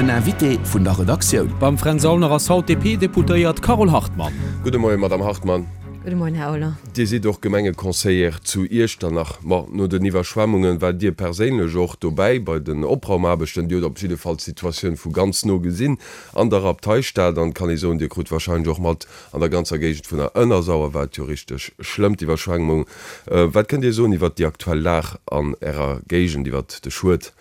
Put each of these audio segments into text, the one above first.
Den Invité vun der Redaktioun. Beim Fränz Aulner ass haut d'DP-Deputéiert Carole Hartmann. Gudde Moien, Madamm Hartmann. Gudde Moien, Här Aulner. Dir sidd och Gemengeconseillère zu Iechternach. Ma no den Iwwerschwemmungen waart Dir perséinlech och dobäi bei den Opraumaarbechten. Dir hutt op jidde Fall d'Situatioun vu ganz no gesinn an der Abteistad. An et kann ee soen, Dir krut warscheinlech och mat, an der ganzer Géigend vun der Ënnersauer war et jo richteg schlëmm, d'Iwwerschwemmung. Wat kënnt Dir soen iwwert déi aktuell Lag an Ärer Géigend, iwwert de Schued?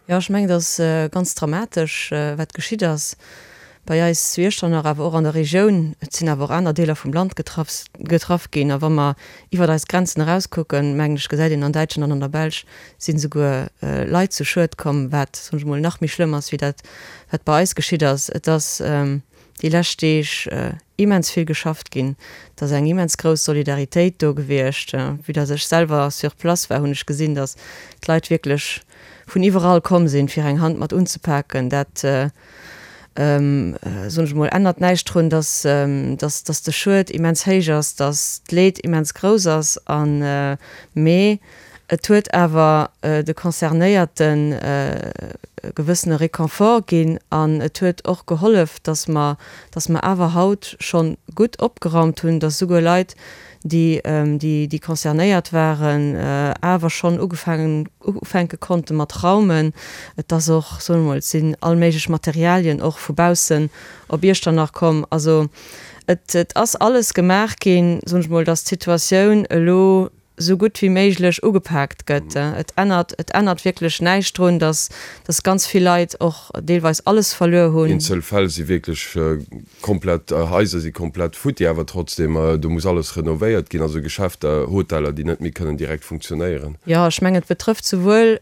Jo, ech mengen, et ass ganz dramatesch, wat geschitt ass bei eis zu Iechternach, awer och an der Regioun. Et sinn awer och aner Deeler vum Land getraff getraff ginn. A wa mer iwwert eis Grenzen erauskucken, mengen ech, gesäit een, an Däitschland an an der Belsch sinn esouguer Leit zu Schued komm, wat, soen ech emol, nach méi schlëmm ass wéi dat, wat bei eis geschitt ass. Et ass déi lescht Deeg immens vill geschafft ginn. Et ass eng immens grouss Solidaritéit do gewiescht. Vue dass ech selwer sur place war, hunn ech gesinn, dass d'Leit wierklech vun iwwerall komm sinn, fir eng Hand mat unzepaken. Dat, soen ech emol, ännert näischt drun, dass, dass, dass de Schued immens héich ass, dass d'Leed immens grouss ass. An, mee et huet awer de Concernéierten e gewëssene Réconfort ginn an et huet och gehollef, dass mer, dass mer awer haut schonn gutt opgeraumt hunn, dass souguer Leit, déi, déi concernéiert waren, awer schonn ugefaangen, ufänke konnte mat raumen. Et ass och, soe mer mol, et sinn all méiglech Materialien och vu baussen op Iechternach komm. Also et, et ass alles gemaach ginn, soen ech mol, dass d'Situatioun elo esou gutt wéi méiglech ugepaakt gëtt. Et ännert, et ännert wierklech näischt drun, dass, dass ganz vill Leit och deelweis alles verluer hunn. Eenzel Fäll si wierklech komplett, Haiser si komplett futti, awer trotzdem, do muss alles renovéiert ginn, also Geschäfter, Hoteller, déi net méi kënnen direkt funktionéieren. Jo, ech mengen, et betrëfft souwuel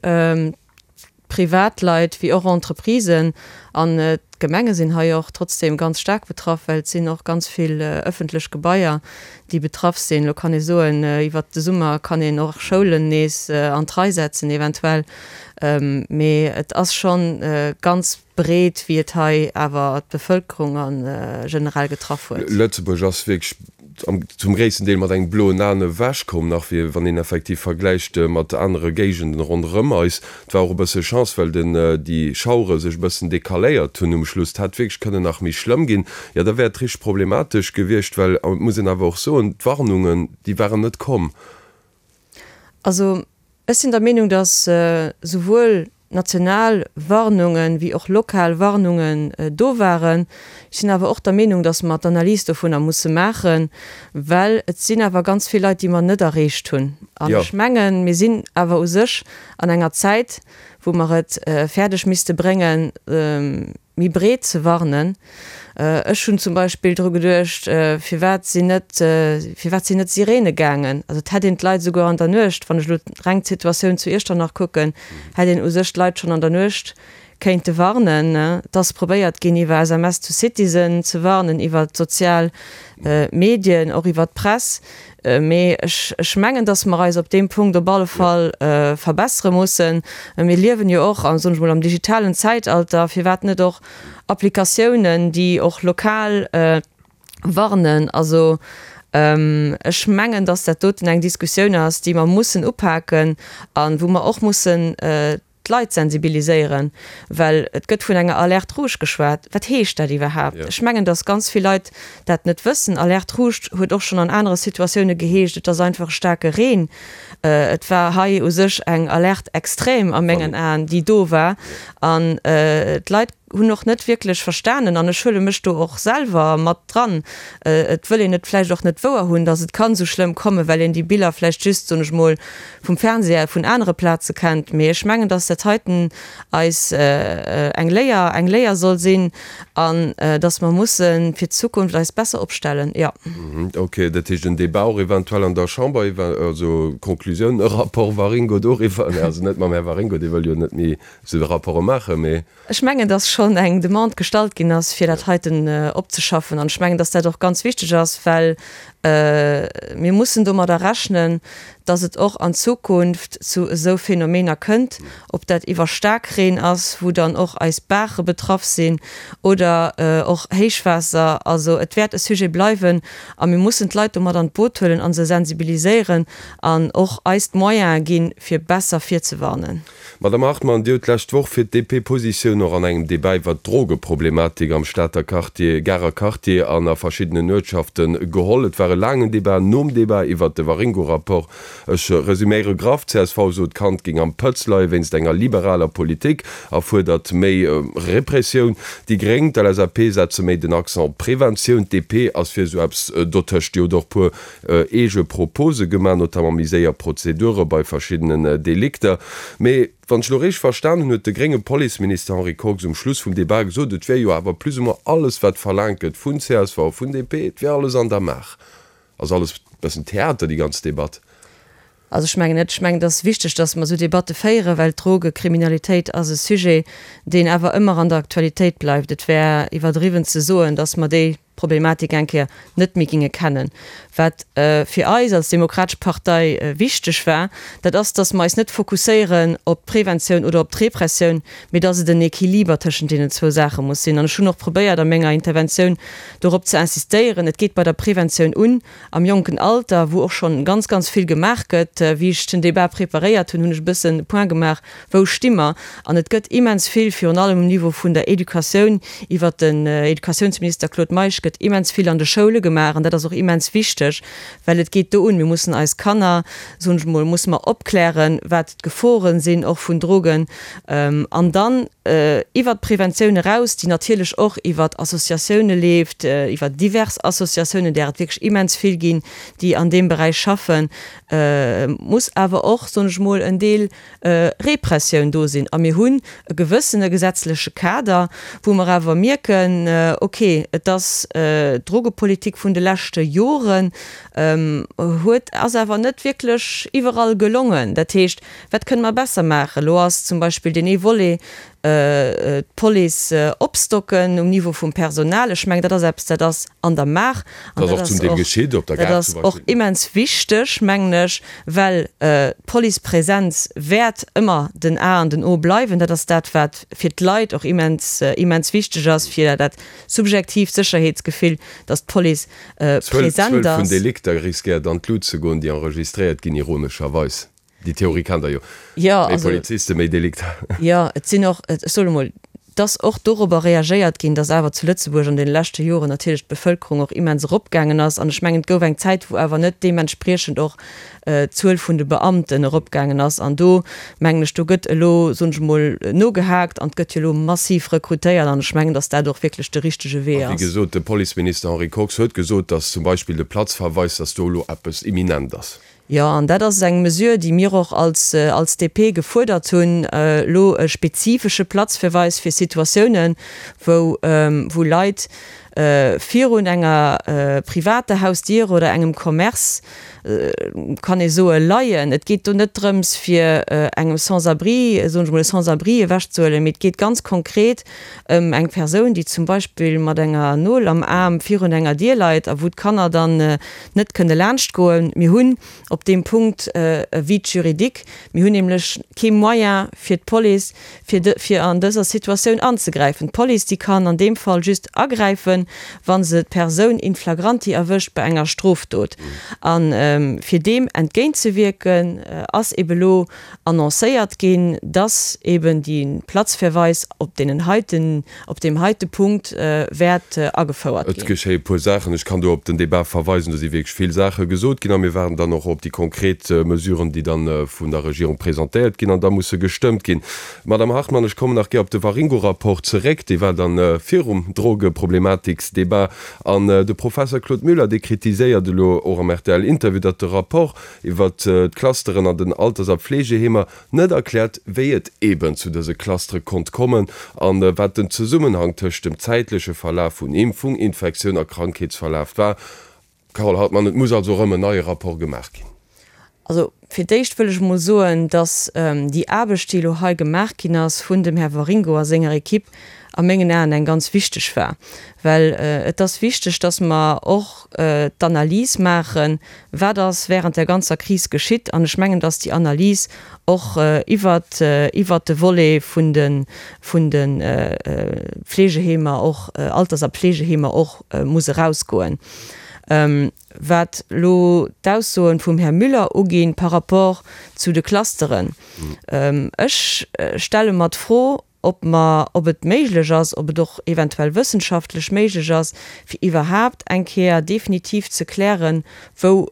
Privatleit wéi och Entreprisen. An d'Gemenge sinn hei och trotzdem ganz staark betraff, well et sinn och ganz vill ëffentlech Gebaier, déi betraff sinn. Elo kann ee soen, iwwert de Summer kann een och Schoulen nees an d'Rei setzen eventuell, mee et ass schonn ganz breet, wéi et hei awer d'Bevëlkerung a generell getraff huet. Lëtzebuerg ass wierklech zum gréissten Deel mat engem bloen Aen ewech komm, nach wéi wann een effektiv vergläicht mat anere Géigenden ronderëm eis. Et war och e bësse Chance, well den déi Schauere sech e bëssen decaléiert hunn um Schluss. Et hätt wierklech kënnen nach méi schlëmm ginn. Jo, da wär et richteg problematesch gewiescht, well, et muss een awer och soen, d'Warnungen, déi waren net komm. Also ech sinn der Meenung, datt souwuel national Warnungen wéi och lokal Warnungen do waren. Ech sinn awer och der Meenung, datt mer d'Analys dovunner musse maachen, well et sinn awer ganz vill Leit, déi mer net erreecht hunn. An ech mengen, mir sinn awer u sech an enger Zäit, wou mer et fäerdeg misste bréngen, méi breet ze warnen. Ech hunn zum Beispill dru geduecht, firwat sinn net, firwat sinn net Sirene gaangen? Also et hätt een d'Leit esouguer an der Nuecht, wann ech elo reng d'Situatioun zu Iechternach kucken, hätt een u sech d'Leit schonn an der Nuecht kéinte warnen. Et ass probéiert ginn, iwwer SMS to Citizen ze warnen, iwwer d'sozial Medien, och iwwer d'Press. Mee ech mengen, dass mer eis op deem Punkt op alle Fall verbessere mussen. Mir liewen jo och, soen ech mol, am digitalen Zäitalter. Firwat net och Applikatiounen, déi och lokal warnen? Also ech mengen, dass dat doten eng Diskussioun ass, déi mer mussen upaken a wou mer och mussen d'Leit sensibiliséieren, well et gëtt vun enger Alerte rouge geschwat. Wat heescht dat iwwerhaapt? Ech mengen, datt ganz vill Leit dat net wëssen. Alerte rouge huet och schonn an anere Situatioune geheescht, et ass einfach e staarke Reen. Et war hei u sech eng Alerte extrême a mengen Aen, déi do war. An d'Leit hunn och net wierklech verstanen, an ech huele mech do och selwer mat dran, et wëll een et vläicht och net wouer hunn, datt et kann esou schlëmm kommen, well een déi Biller vläicht just, soen ech mol, vum Fernseher vun anere Plaze kennt. Mee ech mengen, datt dat heiten eis eng Léier, eng Léier soll sinn an datt mer musse fir d'Zukunft eis besser opstellen, jo. Ok, dat heescht en Débat och eventuell an der Chamber, also Conclusioun, e Rapport Waringo doriwwer, also net mam Här Waringo, dee wëll jo net méi esou Rapporte maachen, mee. Ech mengen, dass schonn eng Demande gestallt ginn ass, fir dat heiten opzeschaffen. An ech mengen, dass dat och ganz wichteg ass, well mir mussen domadder rechnen, dass et och an Zukunft zu esou Phänomener kënnt, ob dat iwwer Staarkreen ass, wou dann och eis Baache betraff sinn, oder och Héichwaasser. Also et wäert e Sujet bleiwen a mir mussen d'Leit do mat an d'Boot huelen a se sensibiliséieren an och eis d'Moyene ginn, fir besser virzewarnen. Madame Hartmann, Dir hutt d'lescht Woch fir d'DP Positioun och an engem Debat. Debat iwwert d'Drogeproblematik am Stater Quartier, Garer Quartier an a verschiddenen Uertschafte geholl. Et war e laangen Debat nom Debat iwwert de Waringo-Rapport. Ech resüméiere graff, Csv sot, d'Kand géing am Pëtz leie wéinst enger liberaler Politik a fuerdert méi Repressioun. Déi Gréng, d'LSAP setze méi den Accent op Preventioun. D'DP ass fir esou eppes dotëscht. Déi huet och puer eege Propose gemaach, notamment méi séier Prozedure bei verschiddenen Delikter. Mee wann ech elo richteg verstan hunn, huet de grénge Policeminister Henri Kox um Schluss vum Debat gesot, et wier jo awer plus ou moins alles, wat verlaangt gëtt vun csv, vun DP, et wier alles an der Maach. Ass alles bëssen Theater, déi ganz Debatt? Also ech mengen net. Ech mengen, et ass wichteg, datt mer esou Debatte féieren, well d'Drogekriminalitéit ass e Sujet, deen awer ëmmer an der Aktualitéit bleift. Et wär iwwerdriwwen ze soen, datt mer déi Problematik eng Kéier net méi ginge kennen. Wat fir eis als Demokratesch Partei wichteg war, dat ass, datt mer eis net fokusséieren op d'Preventioun oder op d'Repressioun, mee datt et en Equiliber tëschent deenen zwou Saache muss sinn. An ech hunn och probéiert a menger Interventioun dorop ze insistéieren, et geet bei der Preventioun un, am jonken Alter, wou och schonn ganz, ganz vill gemaach gëtt. Wéi ech den Débat preparéiert hunn, hunn ech e bëssen e Point gemaach, Wou sti mer? An et gëtt immens vill, virun allem um Niveau vun der Educatioun, iwwert den Educatiounsminister Claude Meisch gëtt immens vill an de Schoule gemaach. An dat ass och immens wichteg, well et geet do un, mir mussen eis Kanner, soen ech emol, musse mer opklären, wat d'Geforen sinn och vun Drogen. An dann iwwert d'Preventioun eraus, déi natierlech och iwwert Associatioune leeft, iwwer divers Associatiounen, där et wierklech immens vill ginn, déi an deem Beräich schaffen, muss awer och, soen ech emol, en Deel Repressioun do sinn. A mir hunn e gewëssene gesetzleche Kader, wou mer awer mierken, okay, et ass d'Drogepolitik vun de leschte Joren huet, ass awer net wierklech iwwerall gelongen. Dat heescht, wat kënne mer besser maachen? Elo ass zum Beispill deen ee Volet, d'Police opstocken um Niveau vum Personal. Ech mengen, dat ass eppes, dat ass an der Maach. An Dat ass och zum Deel geschitt op der Gare zum Beispill. Dat ass och immens wichteg, mengen ech, well d'Policepresenz wäert ëmmer den A an den O bleiwen. Dat ass dat, wat fir d'Leit och immens, immens wichteg ass, fir dat subjektiivt Sécherheetsgefill, datt d'Police present ass. D'Zuel vun Delikter riskéiert an d'Lut ze goen, déi enregistréiert ginn, ironescherweis. Déi Theorie kennt Der jo. Jo, Méi Polizisten, méi Delikter. Jo, et sinn och, ech soen emol, et ass och dorobber reagéiert ginn, datt awer zu Lëtzebuerg an deene leschte Joren natierlech d'Bevëlkerung och immens eropgaangen ass. An ech mengen, et gouf eng Zäit, wou awer net deementspriechend och d'Zuel vun de Beamten eropgaangen ass. An do, mengen ech, do gëtt elo, soen ech emol, nogehaakt an et gëtt jo elo massiv rekrutéiert. An ech mengen, datt dat och wierklech de richtege Wee A wéi ass. gesot, de Policeminister Henri Kox huet gesot, datt zum Beispill de Platzverweis, datt do elo eppes imminent ass. Jo, an dat ass eng Mesure, déi mir och als, als DP gefuerdert hunn, elo e spezifesche Platzverweis fir Situatiounen, wou, wou Leit virun enger privater Hausdier oder engem Commerce, kann ee soen, leien. Et geet do net drëms, fir engem Sans-abri, soen ech emol, e Sans-abri ewechzehuelen, mee et geet ganz konkret ëm eng Persoun, déi zum Beispill mat enger Nol am Aarm virun enger Dier leit a wou d'Kanner dann net kënne laanscht goen. Mir hunn op deem Punkt e Vide juridique. Mir hunn nämlech kee Moyen fir d'Police, fir de, fir an dëser Situatioun anzegräifen. D'Police, déi kann an deem Fall just agräifen, wa se d'Persoun in flagranti erwëscht bei enger Strofdot. A fir deem entgéintzewierken, ass ebe lo annoncéiert ginn, dass eben déi Platzverweis op deenen heiten, op deem heite Punkt wäert agefouert Et ginn. geschéie puer Saachen. Ech kann do op den Débat verweisen. Do si wierklech vill Saache gesot ginn a mir waarden dann och op déi konkret Mesuren, déi dann vun der Regierung presentéiert ginn an da musse gestëmmt ginn. Madame Hartmann, ech kommen nach gär op de Waringo-Rapport zeréck. Dee war dann virum Drogeproblematiksdebat. An de Professer Claude Muller, dee kritiséiert elo och am RTL-Interview, datt de Rapport iwwert d'Clusteren an den Alters a Pflegeheemer net erkläert, wéi et eeben zu dëse Clustere konnt kommen an wat den Zesummenhang tëscht dem zäitleche Verlaf vun Impfung, Infektioun a Krankheetsverlaf war. Carole Hartmann, Et muss also erëm en neie Rapport gemaach ginn. Also fir d'éischt wëll ech emol soen, datt déi Aarbecht, déi elo hei gemaach ginn ass vun dem Här Waringo a senger Equipe, a mengen Aen eng ganz wichteg war. Well et ass wichteg, datt mer och d'Analys maachen, Wat ass während der ganzer Kris geschitt? An ech mengen, dass déi Analys och iwwert, iwwert de Volet vun de, vun de Fleegeheemer och, Alters a Pflegeheemer och muss erausgoen. Wat elo d'Aussoen vum Här Müller uginn par rapport zu de Clusteren, ech stelle mer d'Fro. ob mer, ob et méiglech ass, ob et och eventuell wëssenschaftlech méiglech ass, fir iwwerhaapt eng Kéier definitiv ze klären, wou,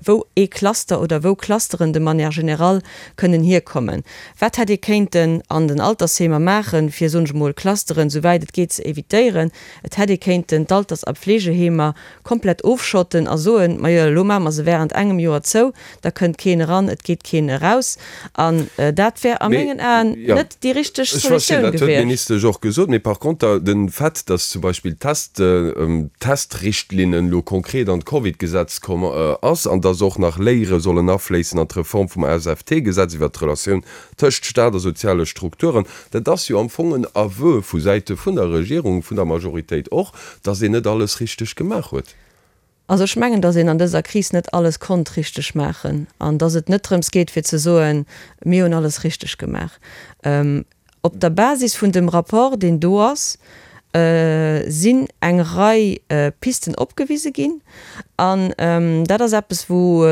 wou ee Cluster oder wou Clusteren de manière générale kënnen hierkommen. Wat hätt ee kéinten an den Altersheemer maachen, fir, soen ech emol, Clusteren, souwäit et geet, ze évitéieren? Et hätt ee kéinten d'Alters a Pflegeheemer komplett ofschotten a soen, Majo, elo maache mer se während engem Joer zou, da kënnt keen eran, et geet keen eraus. An dat wär a mengen Aen net déi richteg Ech verstinn, Solutioun dat huet gewiescht. d'Ministesch och gesot. Mee par conter, de Fait, datt zum Beispill d'Test, d'Testrichtlinnen elo konkret an d'Covid-Gesetz komm ass an datt och nach Léiere sollen afléissen an d'Reform vum ASFT-Gesetz iwwert d'Relatioun tëscht Staat a soziale Strukturen, dat ass jo am Fong en Aveu vu Säite vun der Regierung, vun der Majoritéit och, datt een net alles richteg gemaach huet. Also ech mengen, datt een an dëser Kris net alles konnt richteg maachen an datt et net drëms geet fir ze soen, mir hunn alles richteg gemaach. Op der Basis vun dem Rapport, deen do ass, sinn eng Rei Pisten opgewise ginn. An dat ass eppes, wou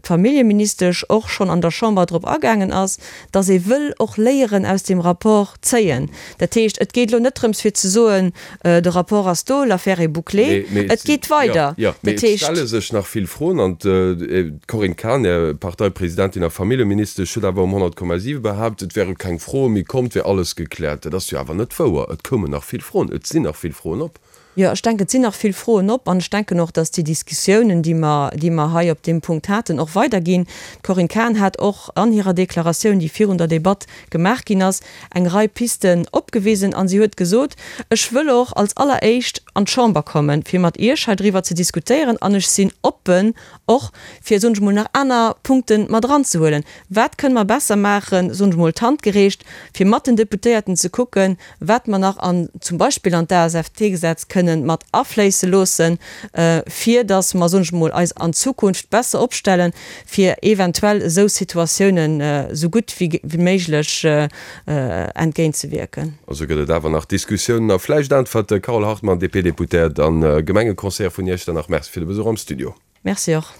d'Familljeministesch och schonn an der Chamber drop agaangen ass, dass ee wëll och Léieren aus deem Rapport zéien. Dat heescht, et geet elo net drëms fir ze soen, de Rapport ass do, l'affaire est bouclée. Et geet weider. Jo, mee et stelle sech nach vill Froen. An d'Corinne Cahen, Är Parteipresidentin a Familljeministesch, huet awer um 100,7 behaapt, et wäre keng Froe méi komm, et wär alles gekläert. Dat ass jo awer net wouer. Et koumen nach vill Froen, et sinn nach vill Froen op. Jo, ech denken, et sinn nach vill Froen op. An ech denken och, dass déi Diskussiounen, déi mer, déi mer hei op deem Punkt haten, och weiderginn. D'Corinne Cahen hat och an hirer Deklaratioun, déi virun der Debatt gemaach ginn ass, eng Rei Pisten opgewisen. A si huet gesot, Ech wëll och als Alleréischt an d'Chamber kommen, fir mat Iech hei driwwer ze diskutéieren. An ech sinn oppen och, fir, soen ech emol, nach aner Punkte mat eranzehuelen. Wat kënne mer besser maachen, soen ech emol, d'Hand gereecht, fir mat den Deputéierten ze kucken, wat mer nach an, zum Beispill an d'ASFT-Gesetz kënnen mat afléisse loossen, fir datt mer, soen ech emol, eis an Zukunft besser opstellen, fir eventuell esou Situatiounen esou gutt wéi méiglech entgéintzewierken. Also gëtt et awer nach Diskussiounen a vläicht Äntwerte. Carole Hartmann, DP-Deputéiert a Gemengeconseillère vun Iechternach, Merci fir de Besuch am Studio. Merci och.